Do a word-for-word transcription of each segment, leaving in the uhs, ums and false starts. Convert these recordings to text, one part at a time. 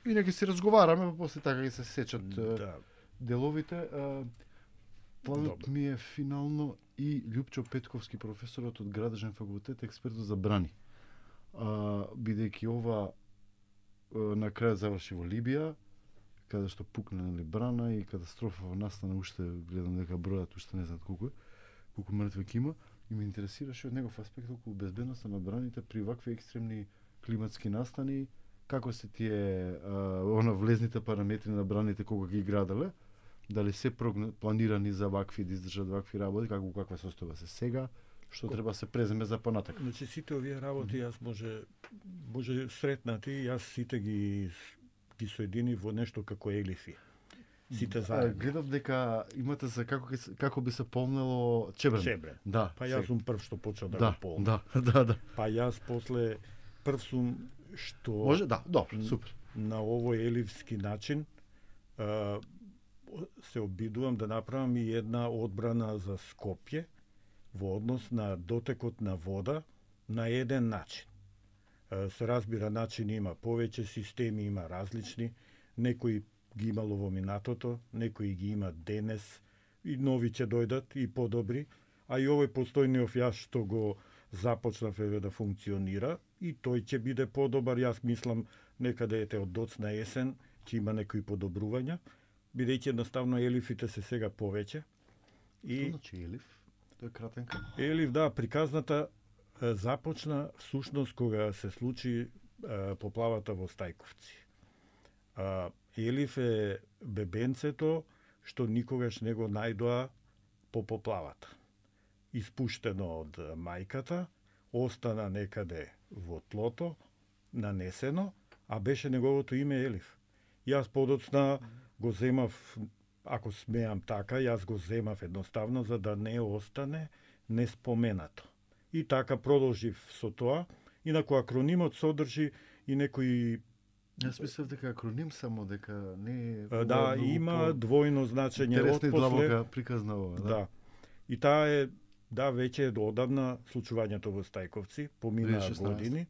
и нека си разговараме, па после така ги се сечат Да. деловите. Планот Добро. ми е финално и Љупчо Петковски, професорот од Градежен факултет, експертот за брани. А, бидејќи ова на крај заврши во Либија, каде што пукна нели брана и катастрофа настана, уште гледам дека бројат уште не знаат колку е, колку мртви ќе има, и ме интересираше од негов аспект околу безбедноста на браните при вакви екстремни климатски настани, како се тие а, она влезните параметри на браните кога ги граделе, дали се прогна, планирани за вакви да издржат вакви работи, како каква состојба се сега, што треба се преземе за понатака. Значи сите овие работи јас може може сретнати, јас сите ги ги соедини во нешто како елифи. Сите А, заедно. гледав дека имате за како ќе се- како би се полнело чебрен. Чебрен. Да. Па јас сум прв што почел да, да, го полнам. да, да, да. Па јас после прв сум што Може, да, добро, супер. на овој еливски начин а, се обидувам да направам и една одбрана за Скопје во однос на дотекот на вода на еден начин. А, се разбира, начин има повеќе, системи има различни, некои ги имало во минатото, некои ги има денес, и нови ќе дојдат и подобри, а и овој постојниот јас што го започнав еве да функционира, и тој ќе биде подобар. Јас мислам некаде ете од доцна есен ќе има некои подобрувања, бидејќи едноставно елифите се сега повеќе. Што И значи елиф? Тој е кратенка. елиф, да, приказната е, започна всушност кога се случи е, поплавата во Стајковци. А, елиф е бебенцето што никогаш не го најдоа по поплавата. Испуштено од мајката, остана некаде во тлото, нанесено, а беше неговото име Елиф. Јас подоцна го земав, ако смеам така, јас го земав едноставно за да не остане неспоменато. И така продолжив со тоа, инаку акронимот содржи и некои Јас мислев дека акроним само, дека не е... А, да, многу има по- двојно значење интересна и од после. длабока приказна ова, да. Да. И таа е, да, веќе е одавна случувањето во Стајковци, поминаа две тисаји и шеснаесета. години.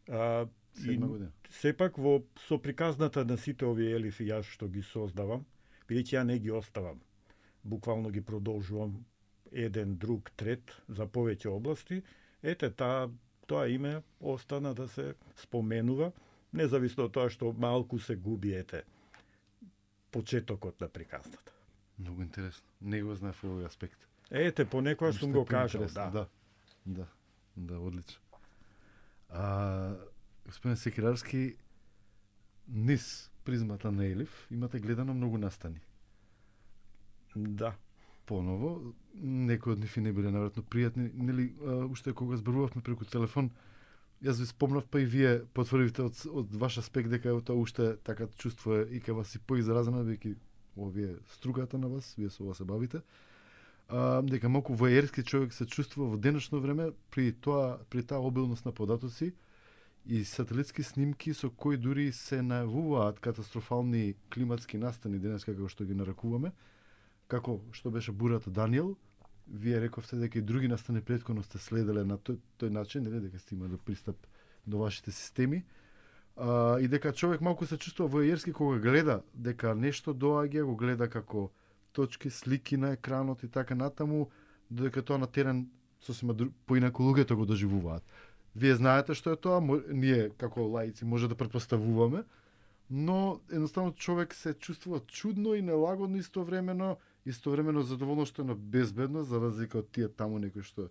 А, и Седма година. сепак во со приказната на сите овие елифи јас што ги создавам, бидејќи ја не ги оставам. Буквално ги продолжувам еден, друг, трет за повеќе области. Ете, таа тоа име остана да се споменува, независно од тоа што малку се губи, ете, почетокот на приказната. Многу интересно. Не го знаев овој аспект. Ете, понекогаш сум Уште го кажал, поинтересно, да. Да, да, да, одлично. А, господин Секирарски, низ призмата на Елиф имате гледано многу настани. Да. Поново, некои од нив и не биле навратно пријатни, нели, а, уште кога зборувавме преку телефон, јас ви спомнав, па и вие потврдивте од, од ваш аспект дека е тоа уште така чувство е и кај вас и поизразено, веќе овие стругата на вас, вие со ова се бавите. А, дека малку воерски човек се чувствува во денешно време при тоа, при таа обилност на податоци и сателитски снимки со кои дури се најавуваат катастрофални климатски настани денес како што ги нарекуваме, како што беше бурата Даниел. Вие рековте дека и други настани претходно сте следеле на тој, тој начин, нели, дека сте имали пристап до вашите системи. А, и дека човек малку се чувствува воерски кога гледа дека нешто доаѓа, го гледа како точки, слики на екранот и така натаму, додека тоа на терен сосема дру... поинаку луѓето го доживуваат. Вие знаете што е тоа, мо... ние како лаици може да претпоставуваме, но едноставно човек се чувствува чудно и нелагодно истовремено, истовремено задоволно што е на безбедно, за разлика од тие таму некои што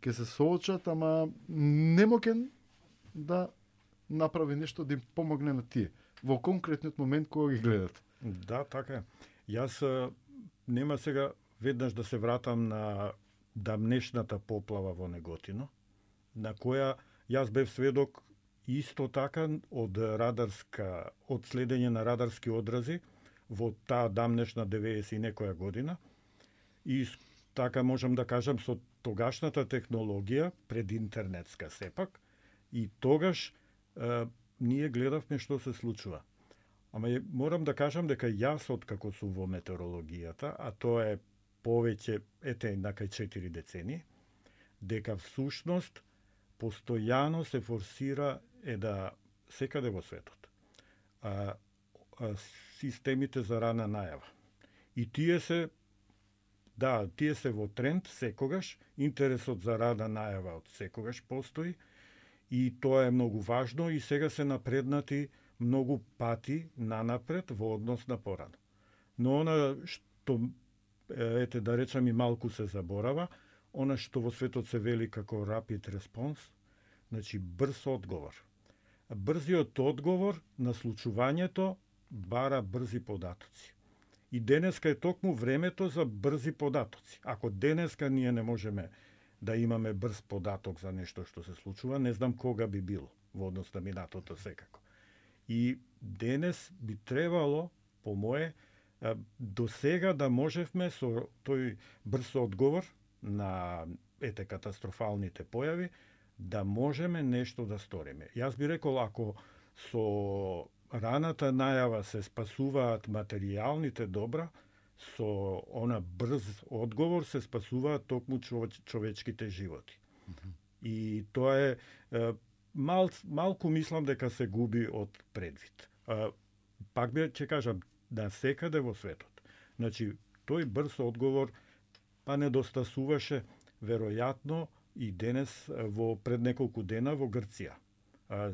ќе се соочат, ама немокен да направи нешто да им помогне на тие во конкретниот момент кога ги гледат. Да, така е. Јас а, нема сега веднаш да се вратам на дамнешната поплава во Неготино, на која јас бев сведок исто така од радарска, од следење на радарски одрази во таа дамнешна деветдесет и некоја година. И с- така можам да кажам со тогашната технологија, пред интернетска сепак, и тогаш е, ние гледавме што се случува. Ама е, морам да кажам дека јас откако сум во метеорологијата, а тоа е повеќе, ете, накај четири децении, дека всушност постојано се форсира е да секаде во светот. а, а, системите за рана најава. И тие се Да, тие се во тренд секогаш, интересот за рана најава од секогаш постои и тоа е многу важно и сега се напреднати многу пати нанапред во однос на порано. Но она што, ете да речам и малку се заборава, она што во светот се вели како rapid response, значи брз одговор. Брзиот одговор на случувањето бара брзи податоци. И денеска е токму времето за брзи податоци. Ако денеска ние не можеме да имаме брз податок за нешто што се случува, не знам кога би било во однос на минатото секако. И денес би требало, по мое, до сега да можевме со тој брз одговор на ете катастрофалните појави, да можеме нешто да сториме. Јас би рекол, ако со раната најава се спасуваат материјалните добра, со она брз одговор се спасуваат токму човечките животи. Mm-hmm. И тоа е, е мал, малку мислам дека се губи од предвид. А, пак би ќе кажам, да секаде во светот. Значи, тој брз одговор па недостасуваше веројатно и денес во пред неколку дена во Грција. А,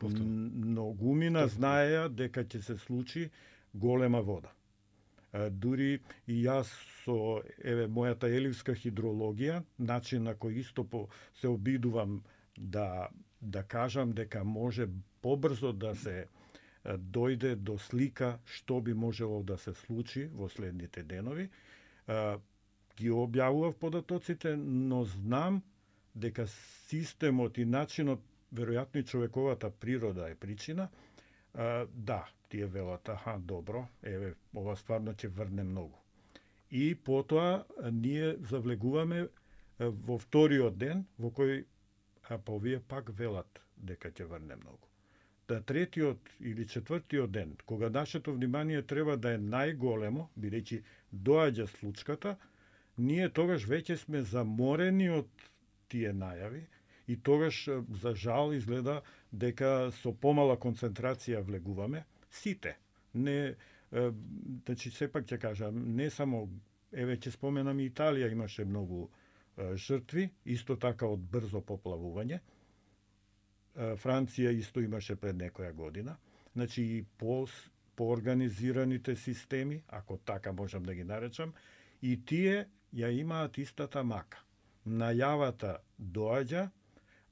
многумина знаеа дека ќе се случи голема вода. А, дури и јас со еве мојата еливска хидрологија, начин на кој исто по се обидувам да да кажам дека може побрзо да се дојде до слика што би можело да се случи во следните денови. А, ги објавував податоците, но знам дека системот и начинот, веројатно и човековата природа е причина, а, да, тие велат, аха, добро, еве, ова стварно ќе врне многу. И потоа ние завлегуваме во вториот ден, во кој, а па овие пак велат дека ќе врне многу. Да третиот или четвртиот ден, кога нашето внимание треба да е најголемо, бидејќи доаѓа случката, ние тогаш веќе сме заморени од тие најави и тогаш, за жал, изгледа дека со помала концентрација влегуваме сите. Не, е, значи, сепак ќе кажам, не само, еве ќе споменам и Италија имаше многу е, жртви, исто така од брзо поплавување. Франција исто имаше пред некоја година. Значи и по, по организираните системи, ако така можам да ги наречам, и тие ја имаат истата мака. Најавата доаѓа,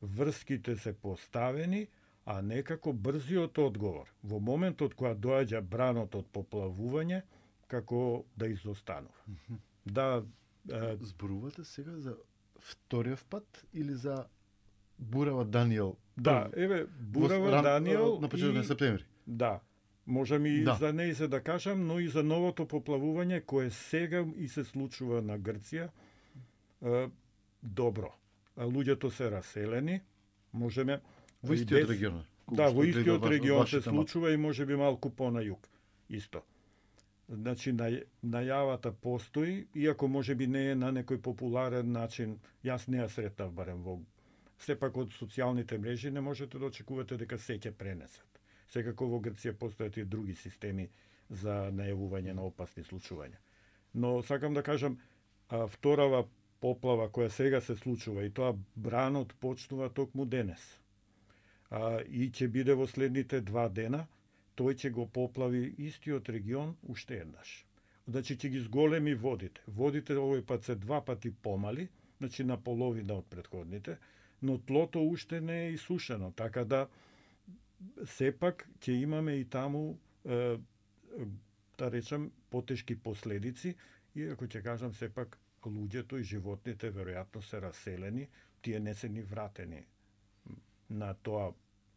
врските се поставени, а некако брзиот одговор, во моментот кога доаѓа бранот од поплавување, како да изостанува. Mm-hmm. Да, е... Зборувате сега за вториот пат или за Бурава Даниел? Да, еве, Бурава ран, Даниел на почетокот на септември. Да. Можам и да. за неј се да кажам, но и за новото поплавување кое сега и се случува на Грција. Е, добро. Луѓето се раселени, можеме во истиот без... регион. Да, во истиот регион се случува и можеби малку по на југ. Исто. Значи, на, најавата постои, иако можеби не е на некој популарен начин, јас не ја сретнав барем во сепак од социјалните мрежи не можете да очекувате дека се ќе пренесат. Секако во Грција постојат и други системи за најавување на опасни случувања. Но сакам да кажам, а, вторава поплава која сега се случува и тоа бранот почнува токму денес. А, и ќе биде во следните два дена, тој ќе го поплави истиот регион уште еднаш. Значи ќе ги зголеми водите. Водите овој пат се два пати помали, значи на половина од претходните, но тлото уште не е исушено, така да сепак ќе имаме и таму, е, да речам, потешки последици, иако ќе кажам сепак луѓето и животните веројатно се раселени, тие не се ни вратени на тоа.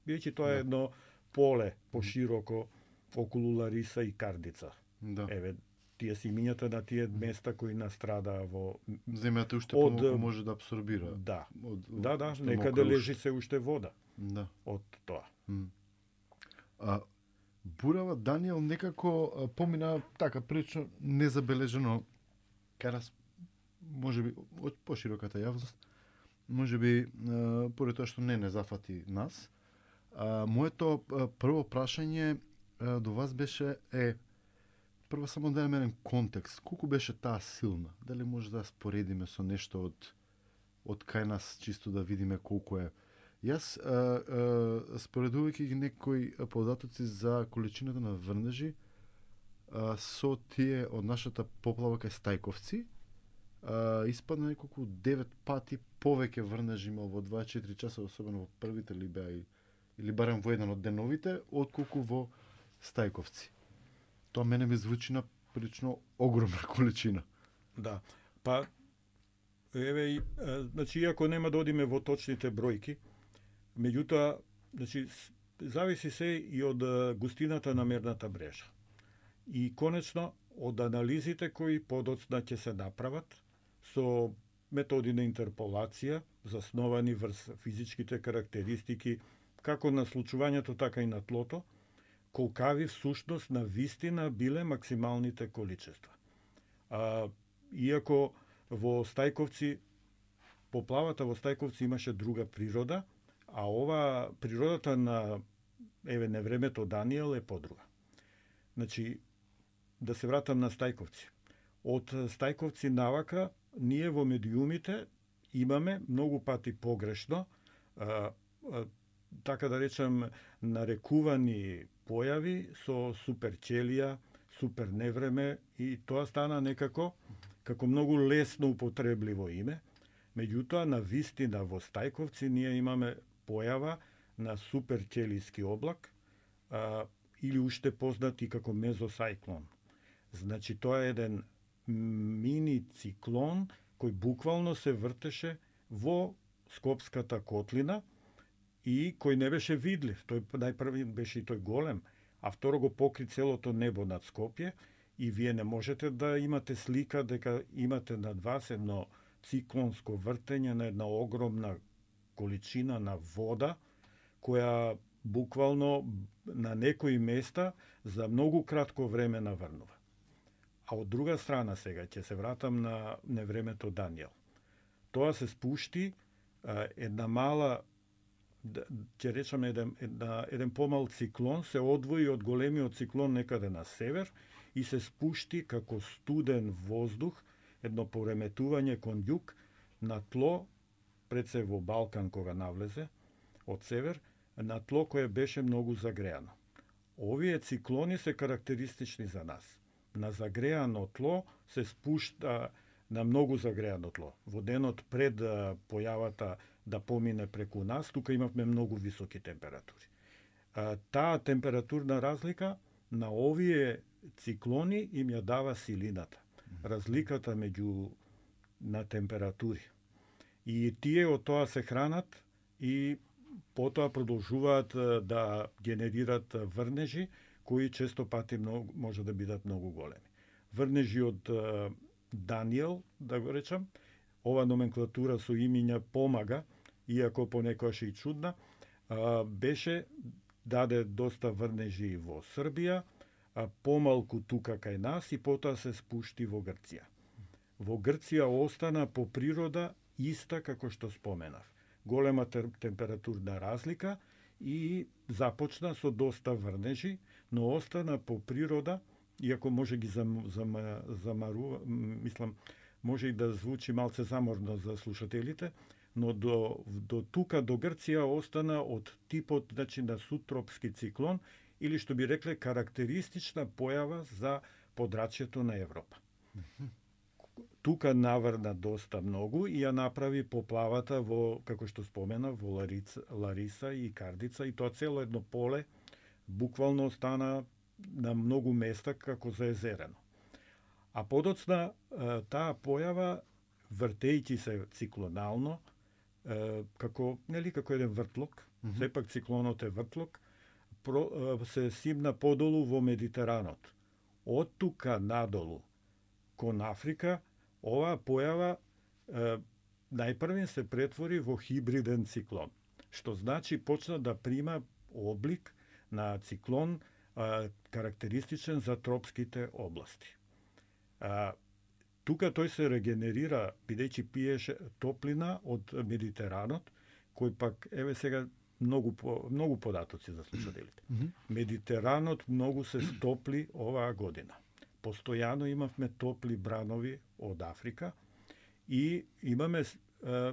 Бидејќи тоа е едно поле пошироко околу Лариса и Кардица. Да. Еве, тие се имињата на тие места кои настрадаа во... Земјата уште од... помалку може да абсорбира. Да, од, од, да, да некаде лежи се уште вода. Да. Од тоа. Mm. А, Бурава Даниел некако а, помина така прилично незабележено кај нас, можеби од пошироката јавност, можеби поред тоа што не не зафати нас. А, моето а, прво прашање до вас беше е прво само да имаме еден контекст. Колку беше таа силна? Дали може да споредиме со нешто од од кај нас, чисто да видиме колку е. Јас, а, а, споредувајќи ги некои податоци за количината на врнежи а, со тие од нашата поплава кај Стајковци, а, испадна неколку девет пати повеќе врнежи има во дваесет и четири часа, особено во првите ли беа или барем во еден од деновите, отколку во Стајковци. Тоа мене ми звучи на прилично огромна количина. Да. Па еве и значи иако нема да одиме во точните бројки, меѓутоа значи зависи се и од густината на мерната мрежа. И конечно од анализите кои подоцна ќе се направат со методи на интерполација засновани врз физичките карактеристики како на случувањето така и на тлото, колкави всушност на вистина биле максималните количества. А, иако во Стајковци, поплавата во Стајковци имаше друга природа, а ова природата на еве невремето Даниел е подруга. Значи, да се вратам на Стајковци. Од Стајковци навака, ние во медиумите имаме многу пати погрешно, а, а, така да речем, нарекувани појави со суперчелија, суперневреме, и тоа стана некако како многу лесно употребливо име. Меѓутоа, на вистина во Стајковци ние имаме појава на суперчелиски облак, а, или уште познат и како мезосајклон. Значи, тоа е еден мини циклон кој буквално се вртеше во Скопската котлина и кој не беше видлив. Тој најпрви беше и тој голем, а второ го покри целото небо над Скопје, и вие не можете да имате слика дека имате над вас едно циклонско вртење на една огромна количина на вода, која буквално на некои места за многу кратко време наврнува. А од друга страна сега, ќе се вратам на невремето Даниел. Тоа се спушти а, една мала, ќе речеме еден, една, еден помал циклон, се одвои од големиот циклон некаде на север и се спушти како студен воздух, едно пореметување кон југ на тло, пред се во Балкан кога навлезе од север, на тло кое беше многу загреано. Овие циклони се карактеристични за нас. На загреано тло се спушта на многу загреано тло. Во денот пред појавата да помине преку нас, тука имавме многу високи температури. Таа температурна разлика на овие циклони им ја дава силината. Разликата меѓу на температури. И тие од тоа се хранат и потоа продолжуваат да генерират врнежи кои често пати многу, може да бидат многу големи. Врнежи од Даниел, да го речам, ова номенклатура со имиња помага, иако понекогаш и чудна, беше даде доста врнежи во Србија, а помалку тука кај нас и потоа се спушти во Грција. Во Грција остана по природа иста како што споменав. Голема температурна разлика и започна со доста врнежи, но остана по природа, иако може ги зам, зам, замарува, мислам, може и да звучи малце заморно за слушателите, но до, до тука, до Грција, остана од типот, значи, на сутропски циклон, или што би рекле карактеристична појава за подрачјето на Европа. Тука наврна доста многу и ја направи поплавата во, како што спомена, во Ларица, Лариса и Кардица, и тоа цело едно поле буквално стана на многу места како заезерено. А подоцна таа појава, вртејќи се циклонално, како, нели, како еден вртлок, mm -hmm. сепак циклонот е вртлок, се симна подолу во Медитеранот. Од тука надолу кон Африка, оваа појава е, најпрвен се претвори во хибриден циклон, што значи почна да прима облик на циклон е, карактеристичен за тропските области. А, тука тој се регенерира, бидејќи пиеше топлина од Медитеранот, кој пак, еве сега, многу по, многу податоци за слушателите. Mm -hmm. Медитеранот многу се стопли оваа година. Постојано имавме топли бранови од Африка и имаме е,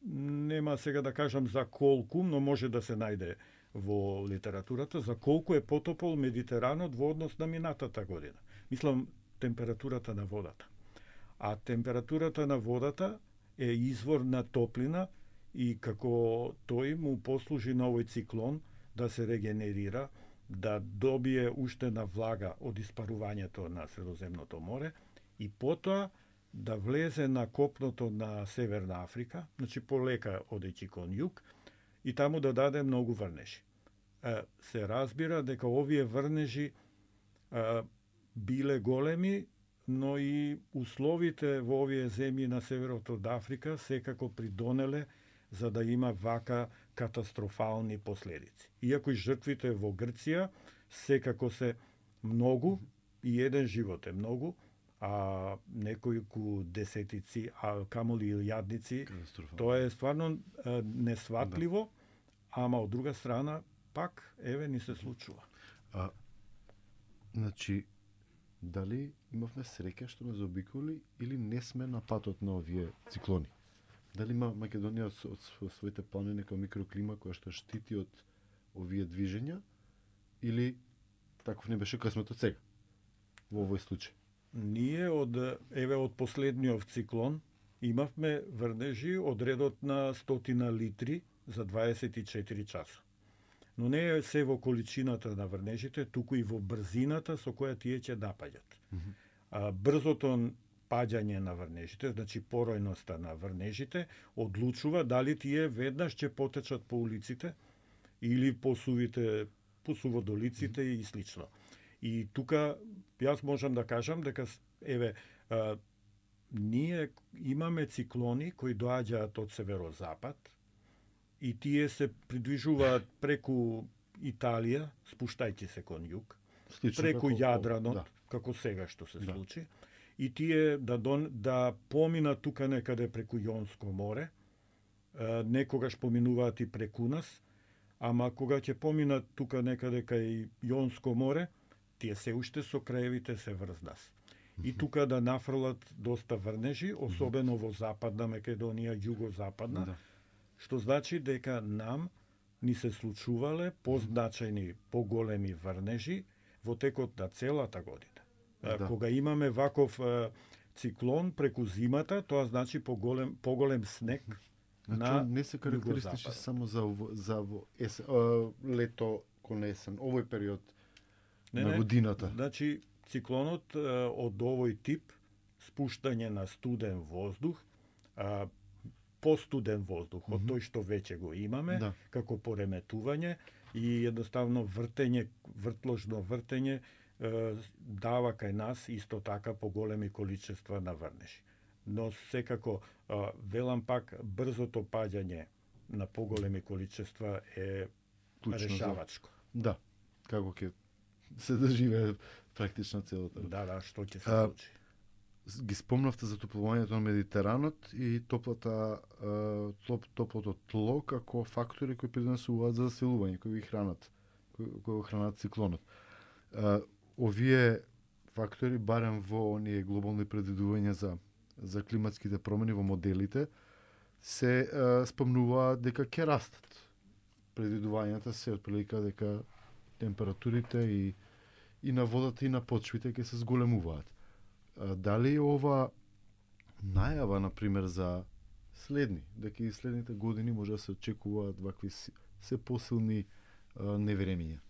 нема сега да кажам за колку, но може да се најде во литературата за колку е потопол Медитеранот во однос на минатата година. Мислам температурата на водата. А температурата на водата е извор на топлина и како тој му послужи на овој циклон да се регенерира, да добие уштена влага од испарувањето на Средоземното море и потоа да влезе на копното на Северна Африка, значи полека одејќи кон југ, и таму да даде многу врнежи. Се разбира дека овие врнежи а, биле големи, но и условите во овие земји на северот од Африка секако придонеле за да има вака катастрофални последици. Иако и жртвите во Грција секако се многу, и еден живот е многу, а неколку десетици, а камоли и илјадници, тоа е стварно а, несватливо, да. Ама од друга страна пак еве ни се случува. А, значи, дали имавме среќа што не заобиколи или не сме на патот на овие циклони? Дали има Македонија од, од своите плани нека микроклима која што штити од овие движења или таков не беше късметот сега во овој случај? Ние од еве од последниот циклон имавме врнежи од редот на стотина литри за дваесет и четири часа. Но не е се во количината на врнежите, туку и во брзината со која тие ќе напаѓат. Mm -hmm. А, брзото паѓање на врнежите, значи поројноста на врнежите, одлучува дали тие веднаш ќе потечат по улиците или по сувите, по суводолиците mm -hmm. и слично. И тука јас можам да кажам дека еве а, ние имаме циклони кои доаѓаат од северозапад и тие се придвижуваат преку Италија, спуштајќи се кон југ, Слично, преку како, Јадранот, да. како сега што се да. случи, и тие да дон, да поминат тука некаде преку Јонско море, е, некогаш поминуваат и преку нас, ама кога ќе поминат тука некаде кај Јонско море, тие се уште со краевите се врз нас. И тука да нафрлат доста врнежи, особено во западна Македонија, југозападна, да. Што значи дека нам ни се случувале позначајни, поголеми врнежи во текот на целата година. Да. Кога имаме ваков е, циклон преку зимата, тоа значи поголем, поголем снег. Значи, на не се карактеристични само за, за ес, а, лето кон есен, овој период не, на годината. Не, значи, циклонот е, од овој тип, спуштање на студен воздух, а, постуден воздух, од тој што веќе го имаме, да. Како пореметување и едноставно вртење, вртложно вртење е, дава кај нас исто така поголеми количества на врнежи. Но секако, е, велам пак, брзото паѓање на поголеми количества е Клучно решавачко. За... Да, како ќе се доживее практично целото. Да, да, што ќе се случи. Ги спомнавте за топлувањето на Медитеранот и топлата, топ, топлото тло како фактори кои придонесуваат за заселување, кои ги хранат, кои, кои хранат циклонот. Овие фактори, барем во оние глобални предвидувања за, за климатските промени во моделите, се а, спомнуваат дека ќе растат. Предвидувањата се отприлика дека температурите и, и на водата и на почвите ќе се зголемуваат. Дали ова најава, например, за следни, дека и следните години може да се очекуваат вакви се посилни невремиња?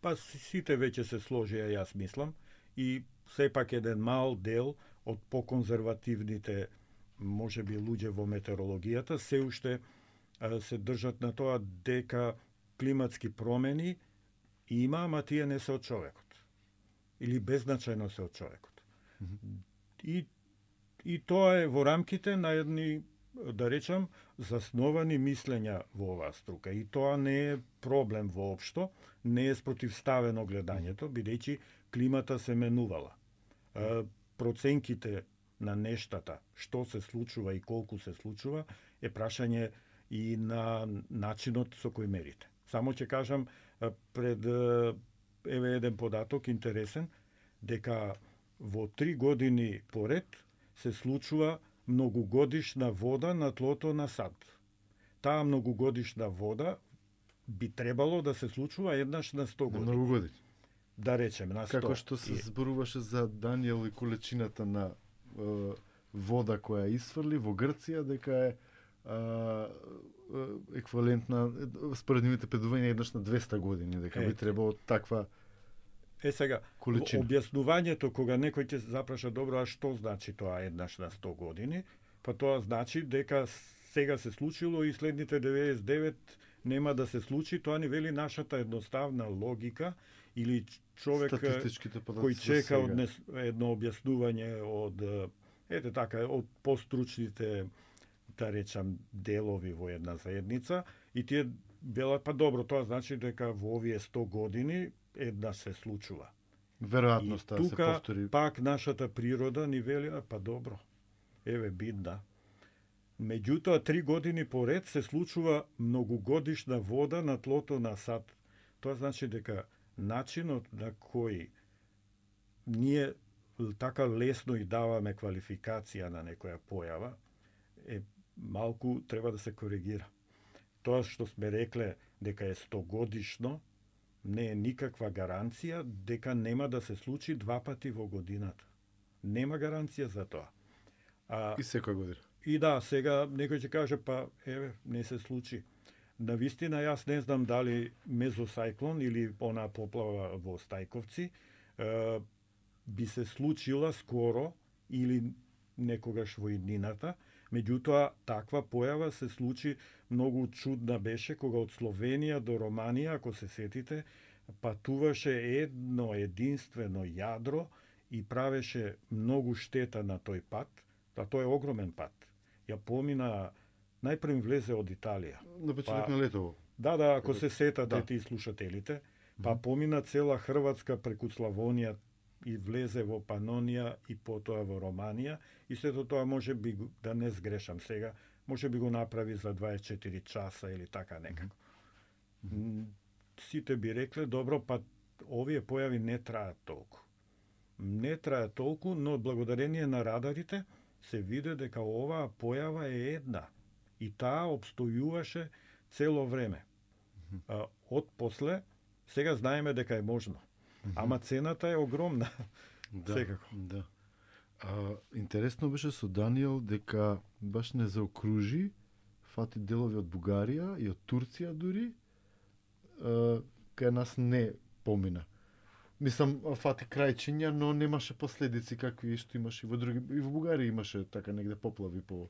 Па сите веќе се сложија, јас мислам, и сепак еден мал дел од поконзервативните, може би, луѓе во метеорологијата, се уште се држат на тоа дека климатски промени има, ама тие не се од човекот. Или беззначајно се од човекот. Mm -hmm. И, и тоа е во рамките на едни, да речам, засновани мислења во оваа струка. И тоа не е проблем воопшто, не е спротивставено гледањето, бидејќи климата се менувала. Е, проценките на нештата, што се случува и колку се случува, е прашање и на начинот со кој мерите. Само ќе кажам пред еве еден податок интересен, дека во три години поред се случува многогодишна вода на тлото на сад. Таа многогодишна вода би требало да се случува еднаш на сто години. Многу години. Да речем, на сто. Како што се зборуваше за Даниел и количината на е, вода која изфрли во Грција, дека е еквивалентна според нивните предувања еднаш на двеста години, дека би требало таква Е сега, количина. Објаснувањето кога некој ќе запраша добро, а што значи тоа еднаш на сто години? Па тоа значи дека сега се случило и следните деветдесет и девет нема да се случи, тоа ни вели нашата едноставна логика или човек кој чека од едно објаснување од ете така од постручните да речам делови во една заедница и тие велат па добро, тоа значи дека во овие сто години една се случува. Веројатноста да се повтори. Пак нашата природа ни вели па добро. Еве бидна. Меѓутоа три години поред се случува многогодишна вода на тлото на сад. Тоа значи дека начинот на кој ние така лесно и даваме квалификација на некоја појава е малку треба да се коригира. Тоа што сме рекле дека е стогодишно не е никаква гаранција дека нема да се случи два пати во годината. Нема гаранција за тоа. А, и секоја година. И да, сега некој ќе каже па еве не се случи. Навистина јас не знам дали мезосајклон или она поплава во Стајковци е, би се случила скоро или некогаш во иднината. Меѓутоа, таква појава се случи многу чудна беше кога од Словенија до Романија, ако се сетите, патуваше едно единствено јадро и правеше многу штета на тој пат, а тој е огромен пат. Ја помина, најпрем влезе од Италија. На почеток па, на летово. Да, да, ако се сетате да. Тие слушателите, па помина цела Хрватска преку Славонија и влезе во Панонија и потоа во Романија и сето тоа може би да не сгрешам сега, може би го направи за дваесет и четири часа или така некако. Mm-hmm. Сите би рекле добро, па овие појави не траат толку. Не траат толку, но благодарение на радарите се виде дека оваа појава е една и таа обстојуваше цело време. Mm-hmm. Од после сега знаеме дека е можно. Mm-hmm. Ама цената е огромна. Да, секако. Да. А, интересно беше со Даниел дека баш не заокружи, фати делови од Бугарија и од Турција дури, а, кај нас не помина. Мислам, фати крајчиња, но немаше последици какви што имаше и во други, и во Бугарија имаше така негде поплави по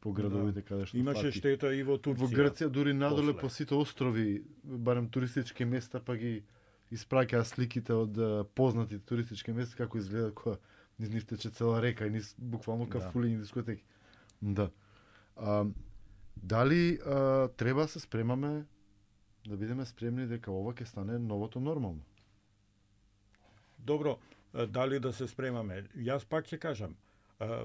по градовите, да, каде што имаше фати. Штета и во Турција. Во Грција дури надоле после. По сите острови, барем туристички места, па ги испраќаа сликите од познатите туристички места како изгледа кога низ нив тече цела река и низ буквално кафулињи, да, дискотеки. Да. А, дали а, треба се спремаме да бидеме спремни дека ова ќе стане новото нормално? Добро, дали да се спремаме? Јас пак ќе кажам, а, а,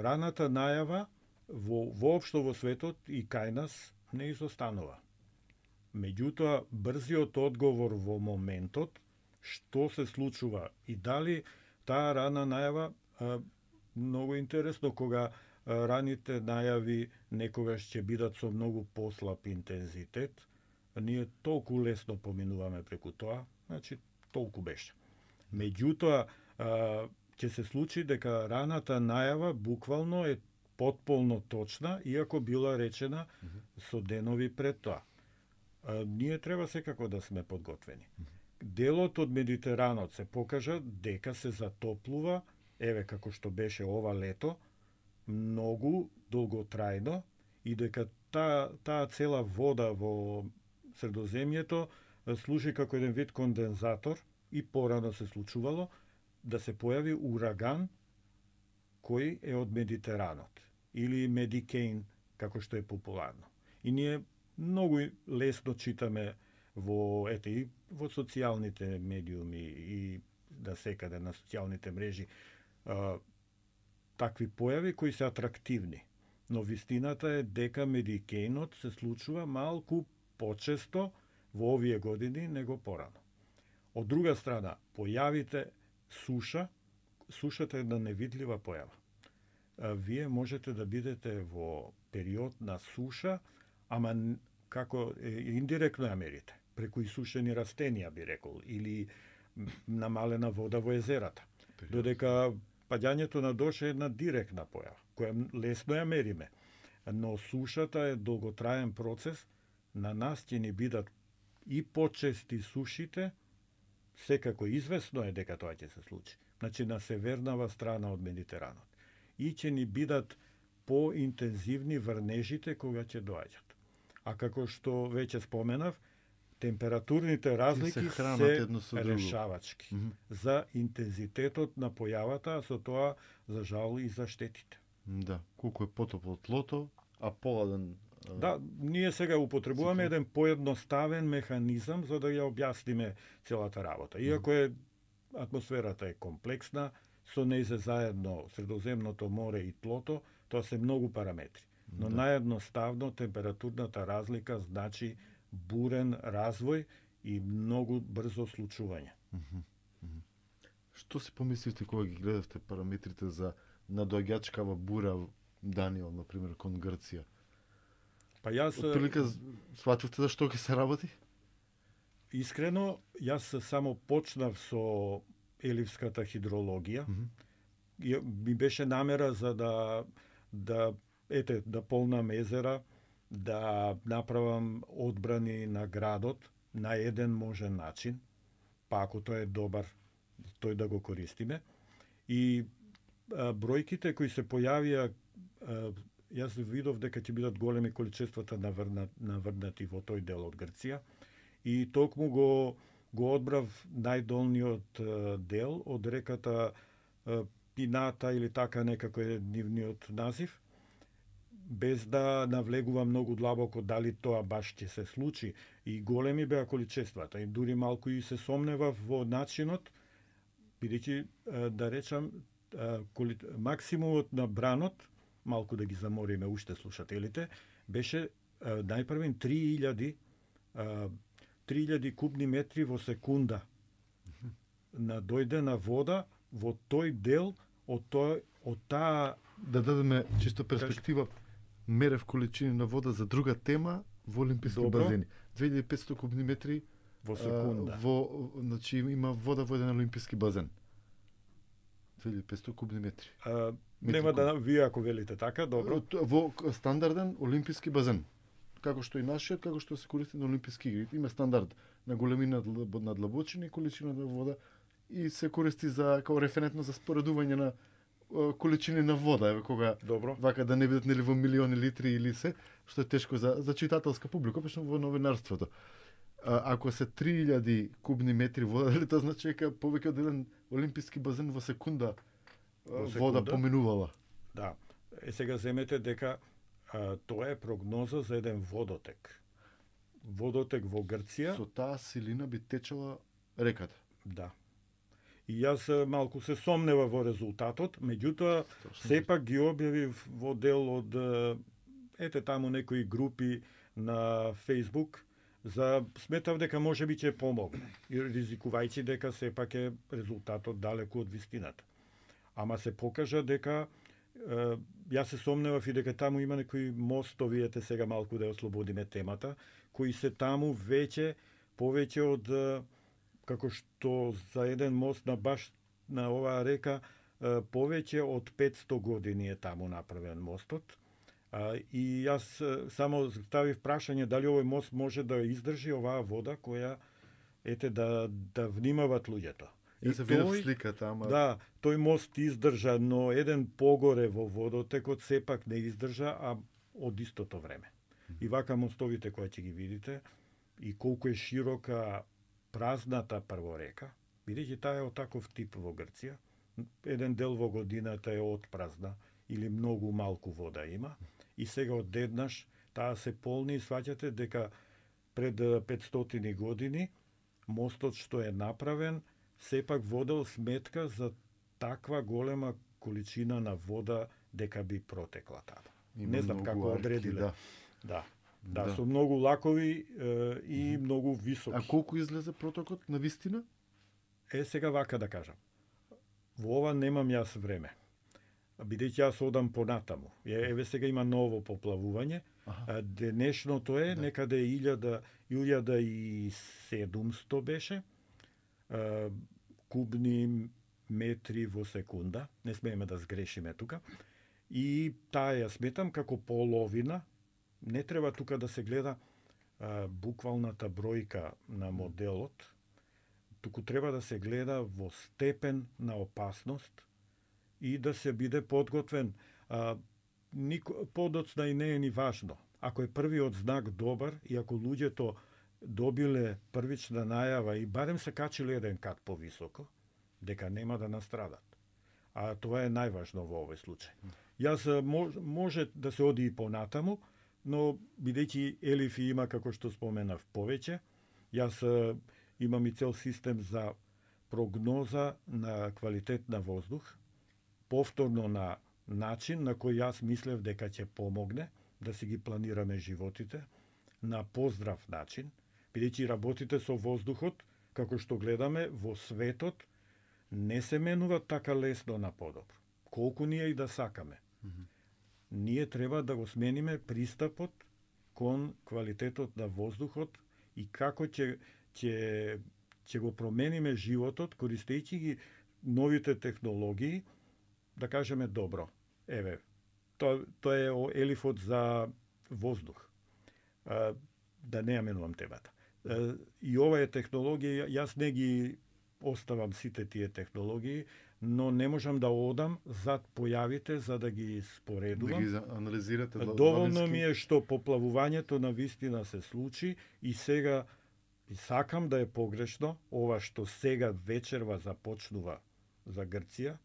раната најава во воопшто во светот и кај нас не изостанува. Меѓутоа, брзиот одговор во моментот, што се случува и дали таа рана најава, а, многу интересно кога а, раните најави некогаш ќе бидат со многу послаб интензитет, ние толку лесно поминуваме преку тоа, значи толку беше. Меѓутоа, а, ќе се случи дека раната најава буквално е потполно точна, иако била речена со денови пред тоа. А, ние треба секако да сме подготвени. Делот од Медитеранот се покажа дека се затоплува, еве како што беше ова лето, многу долготрајно и дека таа таа цела вода во Средоземјето служи како еден вид кондензатор и порано се случувало да се појави ураган кој е од Медитеранот или Медикейн, како што е популарно. И ние многу лесно читаме во ете и во социјалните медиуми и да секаде на социјалните мрежи а, такви појави кои се атрактивни. Но вистината е дека медикејнот се случува малку почесто во овие години него порано. Од друга страна, појавите суша, сушата е една невидлива појава. Вие можете да бидете во период на суша, ама како индиректно ја мерите, преку исушени растенија би рекол, или намалена вода во езерата. Додека паѓањето на дош е една директна појава, која лесно ја мериме. Но сушата е долготраен процес, на нас ќе ни бидат и почести сушите, секако известно е дека тоа ќе се случи. Значи на севернава страна од Медитеранот. И ќе ни бидат поинтензивни врнежите кога ќе доаѓат. А како што веќе споменав, температурните разлики се, се решавачки mm -hmm. за интензитетот на појавата, а со тоа за жал и за штетите. Да, колку е потопло тлото, а поладен. Да, ние сега употребуваме еден поедноставен механизам за да ја објасниме целата работа. Иако е атмосферата е комплексна, со нејзе заедно Средоземното море и тлото, тоа се многу параметри. Но да. Наједноставно температурната разлика значи бурен развој и многу брзо случување. Mm -hmm. Што си помислите кога ги гледавте параметрите за надоаѓачкава бура Даниел, например, кон Грција? Па јас... Отприлика сватувате за што ќе се работи? Искрено, јас само почнав со еливската хидрологија. Mm -hmm. Ми беше намера за да да ете да полнам езера, да направам одбрани на градот на еден можен начин, па ако тој е добар, тој да го користиме. И а, бројките кои се појавија, а, јас видов дека ќе бидат големи количествата наврнат, наврнати во тој дел од Грција. И токму го, го одбрав најдолниот а, дел од реката а, Пината или така некако е нивниот назив, без да навлегувам многу длабоко дали тоа баш ќе се случи. И големи беа количествата. И дури малку и се сомневав во начинот, бидејќи, да речам, коли... максимумот на бранот, малку да ги замориме уште слушателите, беше најпрвен три илјади три илјади кубни метри во секунда на дојдена вода во тој дел од тој од таа. Да дадеме чисто перспектива, мерев количини на вода за друга тема во олимписки Добро. базени. две илјади и петстотини кубни метри во секунда. А, во, значи има вода во еден олимписки базен. две илјади и петстотини кубни метри. А, нема да вие ако велите така, добро. Во стандарден олимписки базен. Како што и нашиот, како што се користи на олимписки игри. Има стандард на големина на длабочина и количина на вода и се користи за како референтно за споредување на количини на вода, еве кога Добро. Вака да не бидат нели во милиони литри или се, што е тешко за за читателска публика, пешно во новинарството. А, ако се три илјади кубни метри вода, дали тоа значи дека повеќе од еден олимписки базен во секунда, во секунда вода поминувала? Да. Е сега земете дека а, тоа е прогноза за еден водотек. Водотек во Грција. Со таа силина би течела реката. Да. И јас малку се сомнева во резултатот, меѓутоа сепак ги објавив во дел од ете таму некои групи на Facebook, за сметав дека можеби ќе помогне, и ризикувајќи дека сепак е резултатот далеку од вистината. Ама се покажа дека е, јас се сомневав и дека таму има некои мостови, ете сега малку да ја ослободиме темата, кои се таму веќе повеќе од како што за еден мост на баш на оваа река повеќе од петсто години е таму направен мостот. И јас само ставив прашање дали овој мост може да издржи оваа вода која ете да да внимават луѓето. И се види сликата, ама да, тој мост издржа, но еден погоре во водотекот сепак не издржа, а од истото време. И вака мостовите кои ќе ги видите и колку е широка празната прво река, бидејќи таа е од таков тип во Грција, еден дел во годината е отпразна или многу малку вода има, и сега одеднаш таа се полни и сваќате дека пред петстотини години мостот што е направен сепак водел сметка за таква голема количина на вода дека би протекла таа. Има не знам многу како арки, одредиле. да. Да. Да, Да. со многу лакови е, и многу високи. А колку излезе протокот на вистина? Е, сега вака да кажам. Во ова немам јас време. Бидејќи јас одам понатаму. Е, еве сега има ново поплавување. А, денешното е Да. некаде илјада илјада и седумсто беше. А, кубни метри во секунда. Не смееме да сгрешиме тука. И таа ја сметам како половина. Не треба тука да се гледа а, буквалната бројка на моделот, туку треба да се гледа во степен на опасност и да се биде подготвен. А, нико, подоцна и не е ни важно. Ако е првиот знак добар и ако луѓето добиле првична најава и барем се качиле еден кат повисоко, дека нема да настрадат. А тоа е најважно во овој случај. Јас мож, може да се оди и понатаму, но бидејќи Елиф има, како што споменав, повеќе, јас имам и цел систем за прогноза на квалитет на воздух, повторно на начин на кој јас мислев дека ќе помогне да си ги планираме животите, на поздрав начин, бидејќи работите со воздухот, како што гледаме во светот, не се менува така лесно на подобро. Колку ние и да сакаме. Mm-hmm. Ние треба да го смениме пристапот кон квалитетот на воздухот и како ќе ќе ќе го промениме животот користејќи ги новите технологии, да кажеме добро. Еве, тоа тоа е Елифот за воздух. А, да не ја менувам темата. А, и ова е технологија, јас не ги оставам сите тие технологии, но не можам да одам зад појавите за да ги споредувам. Да ги анализирате. Доволно ми е што поплавувањето на вистина се случи и сега и сакам да е погрешно ова што сега вечерва започнува за Грција,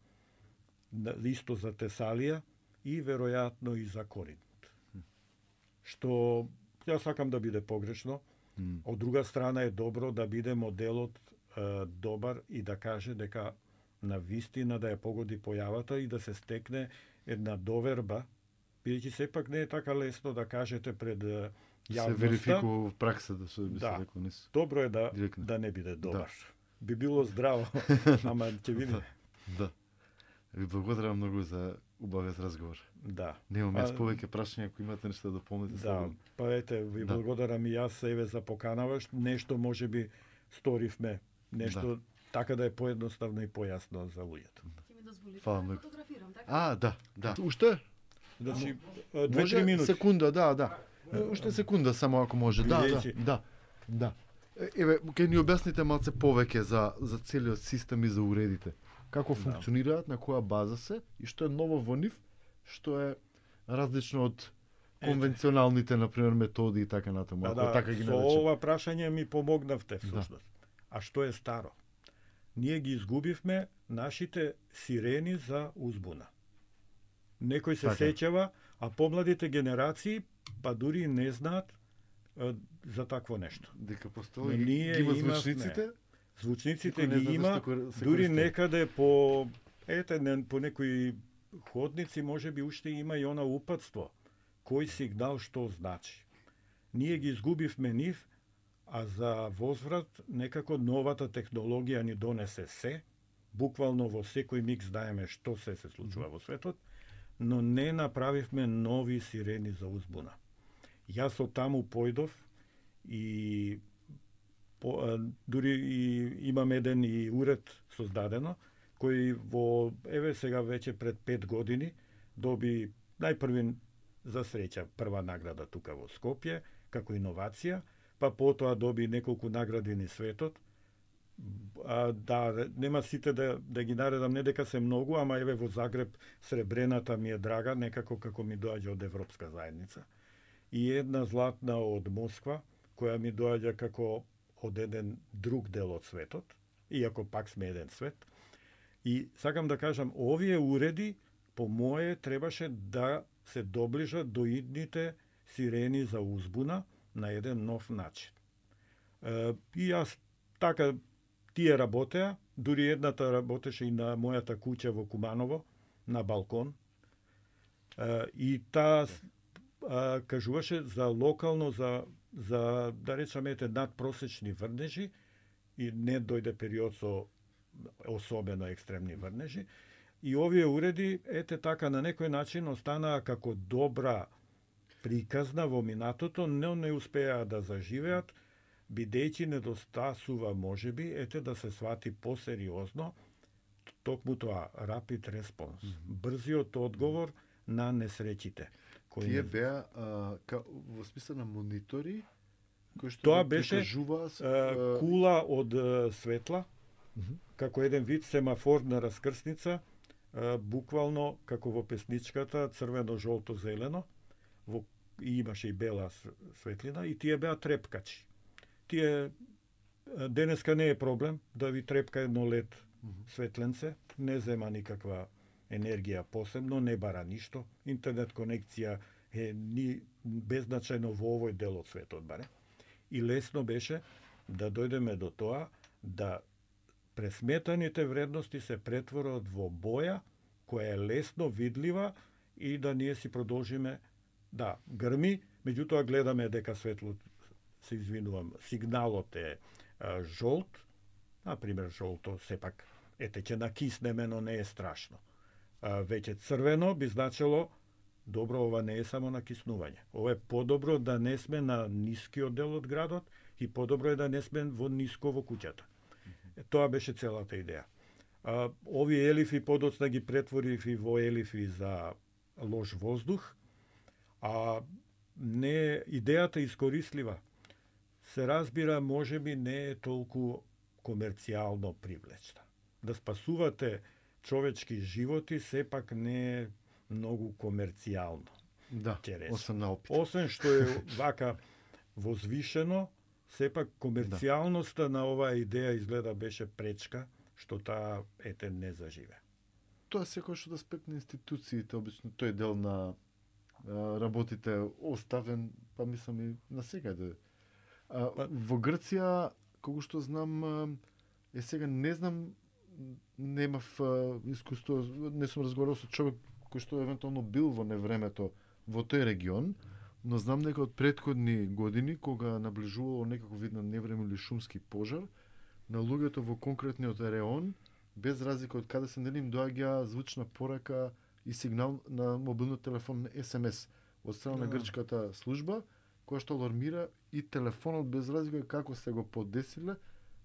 исто за Тесалија и веројатно и за Коринт. Што јас сакам да биде погрешно. Mm. Од друга страна е добро да биде моделот е, добар и да каже дека на вистина да ја погоди појавата и да се стекне една доверба, бидејќи сепак не е така лесно да кажете пред јавноста. Се верификува в пракса да се би да, се рекол нис. Добро е да Директно. Да не биде добар. Да. Би било здраво, ама ќе видиме. Да. Ви благодарам многу за убавиот разговор. Да. Немам јас повеќе прашања, ако имате нешто да дополните. Да, слободно. па ете, ви да. благодарам и јас еве за поканава, нешто можеби сторивме, нешто да. Така да е поедноставно и појасно за луѓето. Ќе ми дозволите Фала да многу. фотографирам, така? А, да, да. Уште? Значи, Може две-три минути. Секунда, да, да. Уште секунда само ако може. Да, да, да. Да. Еве, ќе ни објасните малце повеќе за за целиот систем и за уредите. Како функционираат, на која база се и што е ново во нив, што е различно од конвенционалните, например, методи и така натаму. Да, да, така ги со наречем. ова прашање ми помогнавте всушност. Да. А што е старо? Ние ги изгубивме нашите сирени за узбуна. Некој се така. сеќава, а помладите генерации па дури не знаат а, за такво нешто. Дека постои Но ние ги има имавме. звучниците? Звучниците Никој не ги знае има, зашто се дури користи. некаде по ете не, по некои ходници можеби уште има и она упатство. Кој сигнал што значи. Ние ги изгубивме нив, а за возврат некако новата технологија ни донесе се, буквално во секој миг знаеме што се се случува во светот, но не направивме нови сирени за узбуна. Јас од таму појдов и по, а, дури и имам еден и уред создадено, кој во, еве сега веќе пред пет години, доби најпрви за среќа прва награда тука во Скопје, како иновација, па потоа доби неколку награди низ светот. А, да, нема сите да, да ги наредам, не дека се многу, ама еве во Загреб сребрената ми е драга, некако како ми доаѓа од Европска заедница. И една златна од Москва, која ми доаѓа како од еден друг дел од светот, иако пак сме еден свет. И сакам да кажам, овие уреди, по моje, требаше да се доближат до идните сирени за узбуна на еден нов начин. Е, и јас така тие работеа, дури едната работеше и на мојата куќа во Куманово, на балкон. А, и таа а, кажуваше за локално, за, за да речеме, ете, надпросечни врнежи, и не дојде период со особено екстремни врнежи. И овие уреди, ете така, на некој начин останаа како добра приказна во минатото, но не успеа да заживеат, бидејќи недостасува, можеби, ете да се свати посериозно токму тоа, rapid response, mm -hmm. брзиот одговор на несреќите. Кои Тие не... беа а, ка, во смисла на монитори, кои што тоа беше прикажува, а, кула од а, светла, mm -hmm. како еден вид семафор на раскрсница, а, буквално како во песничката, црвено, жолто, зелено, во, и имаше и бела светлина, и тие беа трепкачи. Тие денеска не е проблем да ви трепка едно лед светленце, не зема никаква енергија посебно, не бара ништо. Интернет конекција е ни беззначајно во овој дел од светот баре. И лесно беше да дојдеме до тоа да пресметаните вредности се претворат во боја која е лесно видлива и да ние си продолжиме да грми, меѓутоа гледаме дека светло, се извинувам, сигналот е а, жолт, например жолто сепак ете ќе накиснеме, но не е страшно. А, веќе црвено би значило добро, ова не е само накиснување. Ова е подобро да не сме на нискиот дел од градот и подобро е да не сме во ниско во куќата. Е, тоа беше целата идеја. А, овие елифи подоцна ги претворив и во елифи за лош воздух, а не идејата искористлива. Се разбира, можеби не е толку комерцијално привлечна. Да спасувате човечки животи сепак не е многу комерцијално. Да, освен на опит. Освен што е вака возвишено, сепак комерцијалноста на оваа идеја изгледа беше пречка, што таа ете не заживе. Тоа секој што да спекне институциите, обично тој дел на а, работите оставен, па мислам и на секаде. А, па... Во Грција, кога што знам, е сега не знам, немав искуство, не сум разговарал со човек кој што евентуално бил во невремето во тој регион, но знам дека од претходни години, кога наближувало некако вид на невреме или шумски пожар, на луѓето во конкретниот реон, без разлика од каде се нели им доаѓа звучна порака и сигнал на мобилниот телефон ес ем ес од страна на грчката служба, која што алармира и телефонот без разлика како се го подесиле,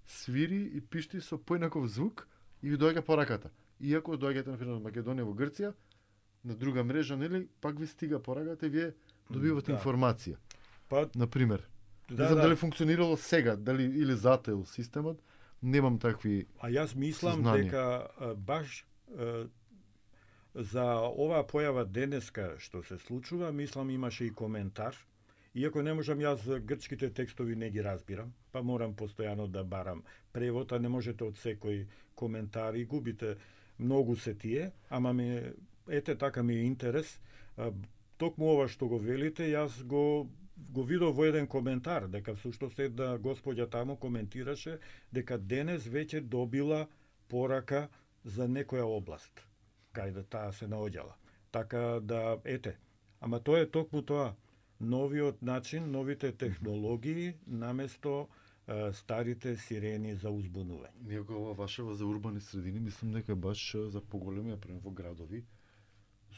свири и пишти со поинаков звук и ви доаѓа пораката. Иако доаѓате на пример Македонија во Грција, на друга мрежа, нели, пак ви стига пораката и вие добивате да. информација. Па, например. Да, не знам да. дали функционирало сега, дали или зател системот, немам такви. А јас мислам знания. дека а, баш а, за оваа појава денеска што се случува, мислам имаше и коментар. Иако не можам јас грчките текстови не ги разбирам, па морам постојано да барам превод, а не можете од секој коментар и губите. Многу се тие, ама ми ете така ми е интерес. А, токму ова што го велите, јас го го видов во еден коментар, дека всушност една господја таму коментираше дека денес веќе добила порака за некоја област, кај да таа се наоѓала. Така да, ете, ама тоа е токму тоа, новиот начин, новите технологии, наместо е, старите сирени за узбунување. Иако ова вашева за урбани средини, мислам дека баш за поголеми, например во градови,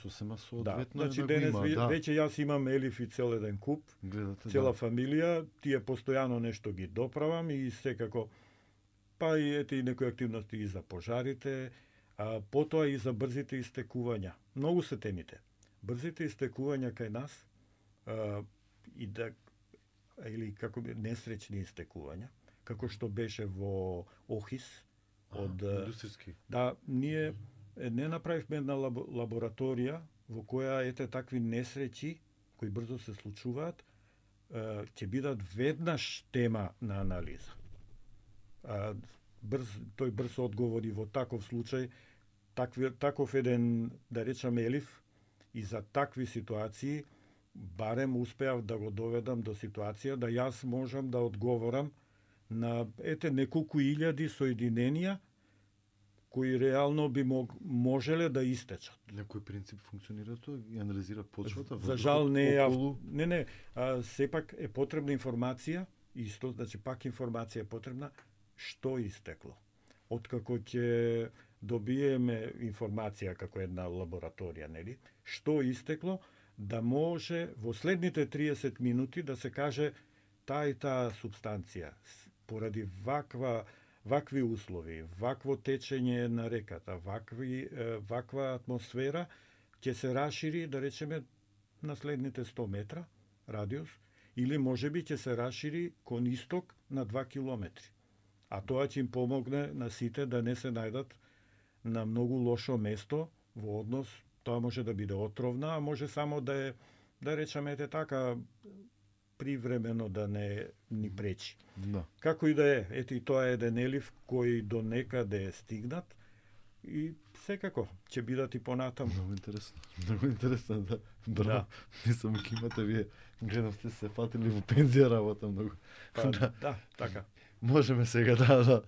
сосема соодветно да, значи да денес го има. Ви, да. Веќе јас имам елифи цел еден куп, гледате, цела да. фамилија, тие постојано нешто ги доправам и секако, па и ете и некои активности и за пожарите, а потоа и за брзите истекувања. Многу се темите. Брзите истекувања кај нас, а, и да, или како би, несреќни истекувања, како што беше во Охис, од... А, индустријски. Да, ние не направивме една лабораторија во која ете такви несреќи кои брзо се случуваат ќе бидат веднаш тема на анализа. Брз, тој брз одговор и во таков случај, такви, таков еден, да речеме, елиф, и за такви ситуации барем успеав да го доведам до ситуација да јас можам да одговорам на ете неколку илјади соединенија кои реално би мог, можеле да истечат. На кој принцип функционира тоа и анализира почвата? За жал не е, околу... не не, а, сепак е потребна информација, исто, значи пак информација е потребна што истекло. Откако ќе добиеме информација како една лабораторија, нели, што истекло, да може во следните триесет минути да се каже таа и таа субстанција поради ваква вакви услови, вакво течење на реката, вакви ваква атмосфера ќе се рашири, да речеме, на следните сто метра радиус, или можеби ќе се рашири кон исток на два километри. А тоа ќе им помогне на сите да не се најдат на многу лошо место во однос, тоа може да биде отровна, а може само да е, да речеме така, привремено да не ни пречи. Да. Како и да е, ете и тоа е еден елив кој до некаде е стигнат и секако ќе бидат и понатаму. Многу интересно. Многу интересно, да. Браво. Да. Мислам, имате вие, гледам сте се фатили во пензија работа многу. Па, да. да, така. Можеме сега да, да,